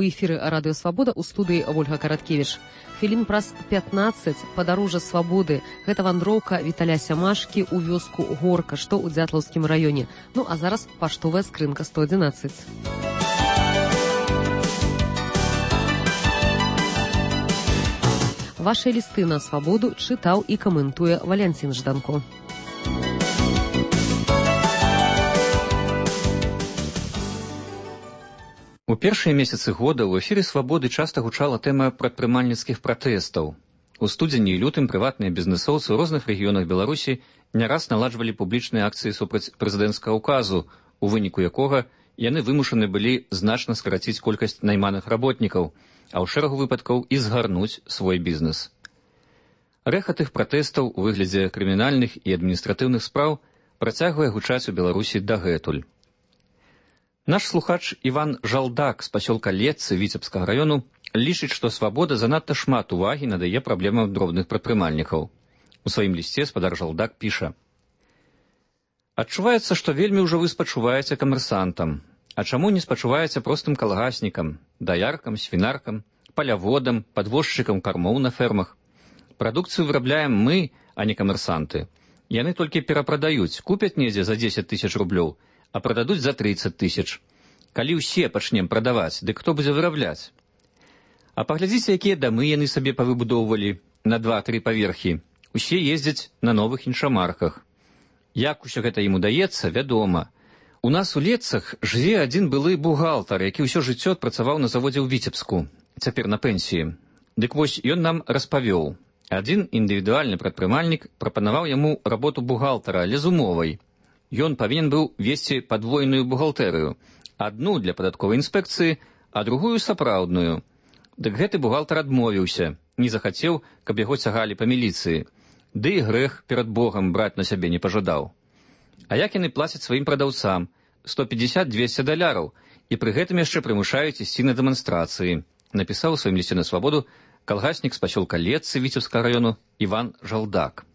У эфіры Радыё Свабода, у студыі Ольга Караткевіч. Хвілін праз 15 падарожжа свабоды. Гэта вандроўка Віталя Сямашкі ў вёску Горка, што ў Дзятлаўскім раёне. Ну а зараз паштовая скрынка 111. Вашыя лісты на свабоду чытаў і каментуе Валянцін Жданко. У першыя месяцы года ў эфіры «Свабоды» часта гучала тэма прадпрымальніцкіх пратэстаў. У студзені і лютым прыватныя бізнэсоўцы ў розных рэгіёнах Беларусі не раз наладжвалі публічныя акцыі супраць прэзідэнцкага ўказу, у выніку якога яны вымушаны былі значна скараціць колькасць найманых работнікаў, а ў шэрагу выпадкаў і згарнуць свой бізнес. Рэхат іх пратэстаў у выглядзе крымінальных і адміністратыўных спраў працягвае гучаць у Беларусі дагэтуль. Наш слухач Іван Жалдак з пасёлка Летцы Віцебскага раёну лічыць, што свабода занадта шмат увагі надае праблемам дробных прадпрымальнікаў. У сваім лісце спадар Жалдак піша: «Адчуваецца, што вельмі ўжо вы спачуваеце камерсантам. А чаму не спачуваеце простым калгаснікам, даяркам, свінаркам, паляводам, падвозчыкам кармоў на фермах? Прадукцыю вырабляем мы, а не камерсанты. Яны толькі перапрадаюць, купяць недзе за 10 000 рублёў, а прададуць за 30 000. Калі ўсе пачнем прадаваць, дык хто будзе вырабляць? А паглядзіце, якія дамы яны сабе павыбудоўвалі на 2-3 паверхі. Усе ездзяць на новых іншамарках. Як усё гэта ім удаецца, вядома. У нас у Летцах жыве адзін былы бухгалтар, які ўсё жыццё адпрацаваў на заводзе ў Віцебску, цяпер на пенсіі. Дык вось ён нам распавёў. Адзін індывідуальны прадпрымальнік прапанаваў яму работу бухгалтара, але з умовай. Ён павінен быў весці падвойную бухгалтэрыю. Адну для падатковай інспекцыі, а другую сапраўдную. Дык гэты бухгалтар адмовіўся, не захацеў, каб яго цягалі па міліцыі. Ды і грэх перад Богам браць на сябе не пажадаў. А як яны плацяць сваім прадаўцам? $150-200, і пры гэтым яшчэ прымушаюць ісці на дэманстрацыі, напісаў у сваім лісце на свабоду калгаснік з пасёлка Летцы Віцебскага раёну Іван Жалдак.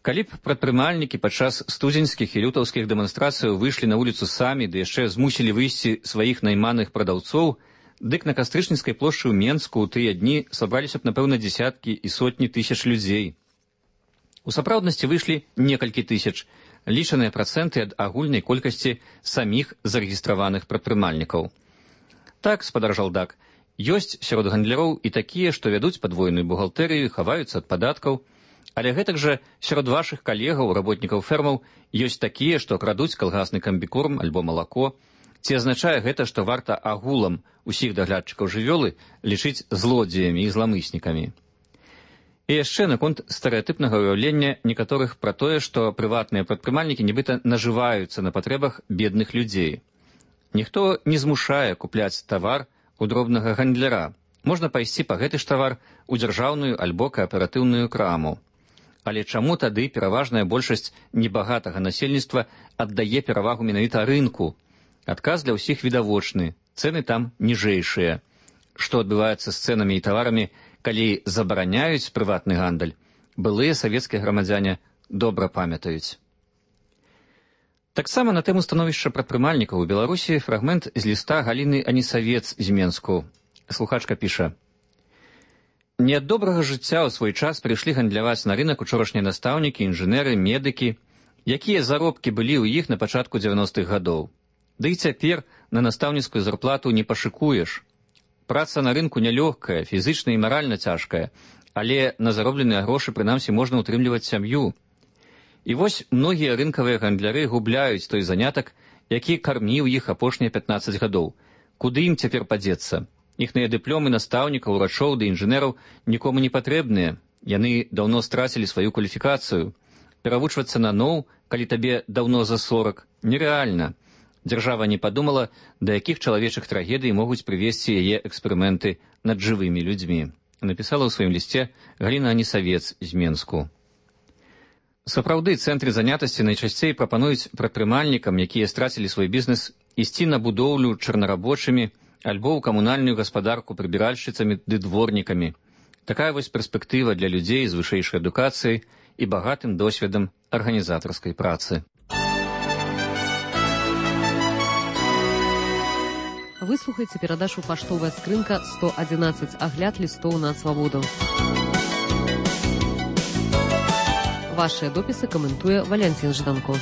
Калі б прадпрымальнікі падчас студзеньскіх і лютаўскіх дэманстрацыяў выйшлі на вуліцу самі, ды яшчэ змусілі выйсці сваіх найманых прадаўцоў, дык на Кастрычніцкай плошчы ў Менску ў тыя дні сабраліся б, напэўна, дзесяткі і сотні тысяч людзей. У сапраўднасці выйшлі некалькі тысяч, лічаныя працэнты ад агульнай колькасці саміх зарэгістраваных прадпрымальнікаў. Так, спадар Жалдак, ёсць сярод гандляроў і такія, што вядуць падвойную бухгалтэрыю, хаваюцца ад падаткаў, але гэтак жа сярод вашых калегаў, работнікаў фермаў, ёсць такія, што крадуць калгасны камбікорм альбо малако. Ці азначае гэта, што варта агулам усіх даглядчыкаў жывёлы лічыць злодзеямі і зламыснікамі? І яшчэ наконт стэрэатыпнага ўяўлення некаторых пра тое, што прыватныя прадпрымальнікі нібыта нажываюцца на патрэбах бедных людзей. Ніхто не змушае купляць тавар у дробнага гандляра. Можна пайсці па гэты ж тавар у дзяржаўную альбо кааператыўную краму. Але чаму тады пераважная большасць небагатага насельніцтва аддае перавагу менавіта рынку? Адказ для ўсіх відавочны, цэны там ніжэйшыя. Што адбываецца з цэнамі і таварамі, калі забараняюць прыватны гандаль, былыя савецкія грамадзяне добра памятаюць. Таксама на тэму становішча прадпрымальнікаў у Беларусі фрагмент з ліста Галіны Анісавец з Менску. Слухачка піша: «Не ад добрага жыцця ў свой час прыйшлі гандляваць на рынак учорашнія настаўнікі, інжынеры, медыкі. Якія заробкі былі ў іх на пачатку 90-х гадоў? Ды і цяпер на настаўніцкую зарплату не пашыкуеш. Праца на рынку нялёгкая, фізычна і маральна цяжкая, але на заробленыя грошы прынамсі можна ўтрымліваць сям'ю. І вось многія рынкавыя гандляры губляюць той занятак, які карміў іх апошнія 15 гадоў. Куды ім цяпер падзецца? Іхныя дыпломы настаўнікаў, урачоў ды інжынераў нікому не патрэбныя. Яны даўно страцілі сваю кваліфікацыю. Перавучвацца наноў, калі табе даўно за 40, нерэальна. Дзяржава не падумала, да якіх чалавечых трагедый могуць прывесці яе эксперыменты над жывымі людзьмі. Напісала ў сваім лісце Галіна Анісавец з Менску. Сапраўды, цэнтры занятасці найчасцей прапануюць прадпрымальнікам, якія страцілі свой бізнес, ісці на будоўлю чарнарабочымі альбо ў камунальную гаспадарку прыбіральшчыцамі ды дворнікамі. Такая вось перспектыва для людзей з вышэйшай адукацыяй і багатым досведам арганізатарскай працы. Выслухайце перадачу «Паштовая скрынка 111. Агляд лістоў на свабоду». Вашыя допісы каментуе Валянцін Жданко.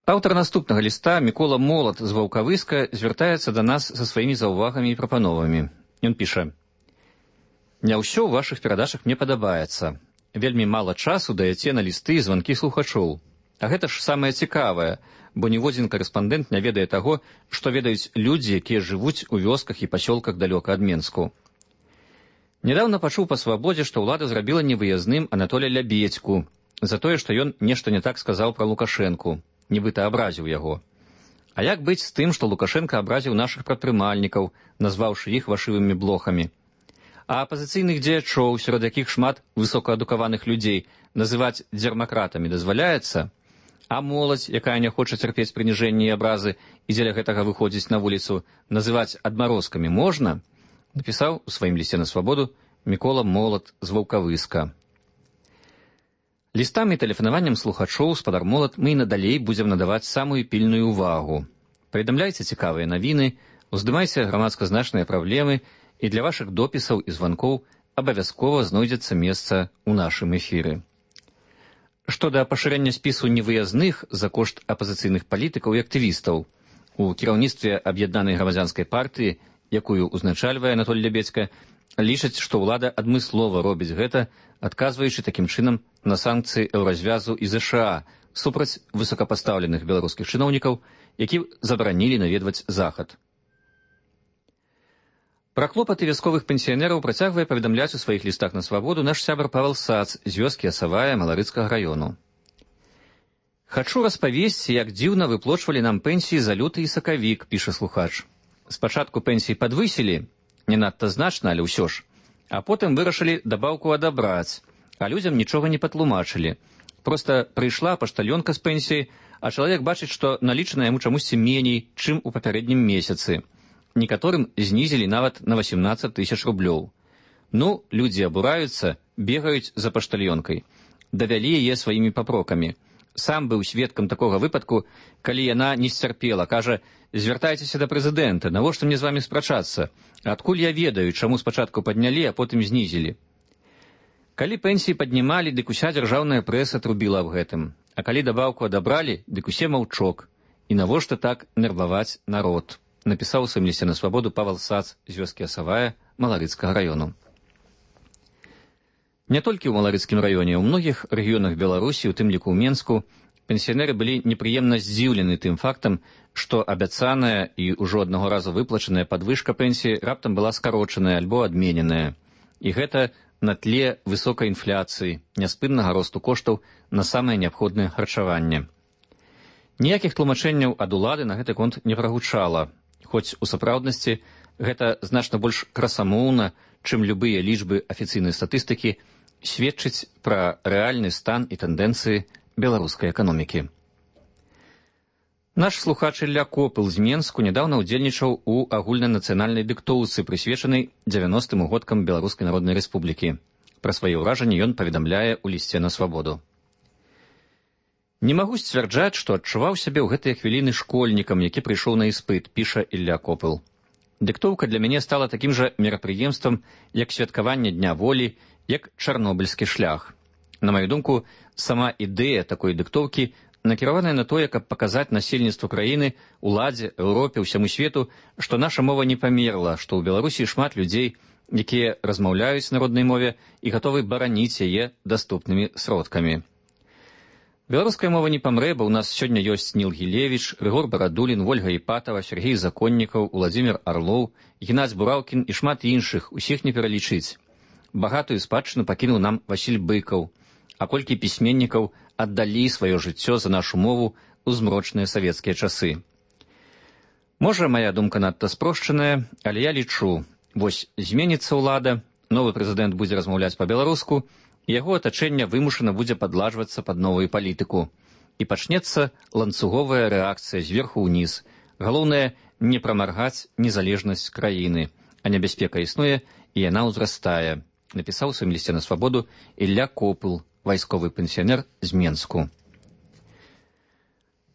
Аўтар наступнага ліста, Мікола Молат з Ваўкавыска, звяртаецца да нас са сваімі заўвагамі і прапановамі. Ён піша: «Не ўсё ў вашых перадачах мне падабаецца. Вельмі мала часу даяце на лісты і званкі слухачоў. А гэта ж самае цікавае, бо ніводзін карэспандэнт не ведае таго, што ведаюць людзі, якія жывуць у вёсках і пасёлках далёка ад Менску. Нядаўна пачуў па свабодзе, што ўлада зрабіла невыязным Анатоля Лябедзьку за тое, што ён нешта не так сказаў пра Лукашэнку, нібыта абразіў яго. А як быць з тым, што Лукашенка абразіў нашых прадпрымальнікаў, назваўшы іх вашывымі блохамі? А апазіцыйных дзеячоў, сярод якіх шмат высокаадукаваных людзей, называць дзярмакратамі дазваляецца? А моладзь, якая не хоча цярпець прыніжэнні і абразы і дзеля гэтага выходзіць на вуліцу, называць адмарозкамі можна? Напісаў у сваім лісце на свабоду Мікола Молат з Ваўкавыска. Лістам і тэлефанаваннем слухачоў спадар Молат мы і надалей будзем надаваць самую пільную ўвагу. Паведамляйце цікавыя навіны, уздымайце грамадска-значныя праблемы, і для вашых допісаў і званкоў абавязкова знойдзецца месца ў нашым эфіры. Што да пашырэння спісу невыязных за кошт апазіцыйных палітыкаў і актывістаў, у кіраўніцтве аб'яднанай грамадзянскай партыі, якую узначальвае Анатоль Лябедзька, лічаць, што ўлада адмыслова робіць гэта, адказваючы такім чынам на санкцыі еўразвязу і ЗША супраць высокапастаўленых беларускіх чыноўнікаў, які забаранілі наведваць захад. Пра клопаты вясковых пенсіянераў працягвае паведамляць у сваіх лістах на свабоду наш сябар Павел Сац з вёскі Асавая Маларыцкага раёну. «Хачу распавесці, як дзіўна выплочвалі нам пенсіі за люты і сакавік», піша слухач. «Спачатку пенсіі падвысілі, не надта значна, але ўсё ж, а потым вырашылі дабаўку адабраць, а людзям нічога не патлумачылі. Проста прыйшла паштальёнка з пенсіі, а чалавек бачыць, што налічана яму чамусьці меней, чым у папярэднім месяцы. Некаторым знізілі нават на 18 000 рублёў. Ну, людзі абураюцца, бегаюць за паштальёнкай. Давялі яе сваімі папрокамі. Сам быў сведкам такога выпадку, калі яна не сцярпела, кажа: «Звяртайцеся да прэзідэнта, навошта мне з вамі спрачацца? Адкуль я ведаю, чаму спачатку паднялі, а потым знізілі?» Калі пенсіі паднімалі, дык уся дзяржаўная прэса трубіла аб гэтым. А калі дабаўку адабралі, дык усе маўчок. І навошта так нерваваць народ? Напісаў у сваім лісце на свабоду Павел Сац з вёскі Асавая Маларыцкага раёну. Не толькі ў Маларыцкім раёне, у многіх рэгіёнах Беларусі, у тым ліку ў Менску, пенсіянеры былі непрыемна здзіўлены тым фактам, што абяцаная і ўжо аднаго разу выплачаная падвышка пенсіі раптам была скарочаная альбо адмененая. І гэта на тле высокай інфляцыі, няспыннага росту коштаў на самае неабходнае харчаванне. Ніякіх тлумачэнняў ад улады на гэты конт не прагучала, хоць у сапраўднасці гэта значна больш красамоўна, чым любыя лічбы афіцыйнай статыстыкі, сведчыць пра рэальны стан і тэндэнцыі беларускай эканомікі. Наш слухач Ілля Копыл з Менску нядаўна ўдзельнічаў у агульнанацыянальнай дыктоўцы, прысвечанай 90-м годкам Беларускай Народнай Рэспублікі. Пра свае ўражанні ён паведамляе ў лісце на свабоду. «Не магу сцвярджаць, што адчуваў сябе ў гэтыя хвіліны школьнікам, які прыйшоў на іспыт», піша Ілля Копыл. «Дыктоўка для мяне стала такім жа мерапрыемствам, як святкаванне Дня волі, як чарнобыльскі шлях. На маю думку, сама ідэя такой дыктоўкі накіраваная на тое, каб паказаць насельніцтву краіны, уладзе, Еўропе, усяму свету, што наша мова не памерла, што ў Беларусі шмат людзей, якія размаўляюць на роднай мове і гатовы бараніць яе даступнымі сродкамі. Беларуская мова не памрэ, бо ў нас сёння ёсць Ніл Гілевіч, Рыгор Барадулін, Вольга Іпатава, Сергей Законнікаў, Уладзімір Арлоў, Геннадзь Бураўкін і шмат іншых, усіх не пералічыць. Багатую спадчыну пакінуў нам Васіль Быкаў, а колькі пісьменнікаў аддалі сваё жыццё за нашу мову ў змрочныя савецкія часы. Можа, мая думка надта спрошчаная, але я лічу, вось зменіцца ўлада, новы прэзідэнт будзе размаўляць па-беларуску, яго атачэнне вымушана будзе падладжвацца пад новую палітыку. І пачнецца ланцуговая рэакцыя зверху ўніз. Галоўнае, не прамаргаць незалежнасць краіны, а небяспека існуе, і яна ўзрастае, напісаў у сваім лісце на свабоду Ілля Копыл, вайсковы пенсіянер з Менску.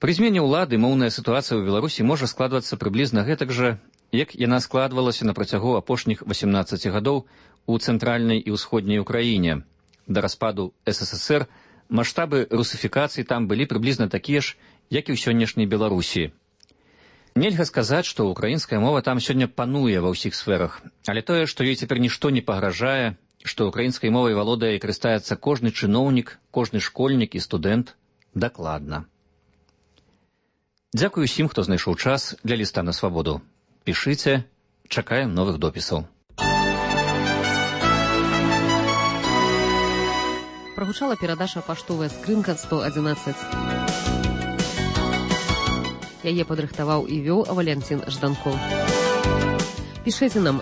Пры змене ўлады моўная сітуацыя ў Беларусі можа складвацца прыблізна гэтак жа, як яна складвалася на працягу апошніх 18 гадоў у цэнтральнай і ўсходняй Украіне. Да распаду СССР маштабы русіфікацыі там былі прыблізна такія ж, як і ў сённяшняй Беларусі. Нельга сказаць, што украінская мова там сёння пануе ва ўсіх сферах, але тое, што ёй цяпер нішто не пагражае, што украінскай мовай валодае і карыстаецца кожны чыноўнік, кожны школьнік і студэнт, дакладна. Дзякую усім, хто знайшоў час для ліста на свабоду. Пішыце, чакаем новых допісаў. Прогучала перадача «Паштовая скрынка 111». Яе падрыхтаваў і вёў Валянцін Жданков. Пішыце нам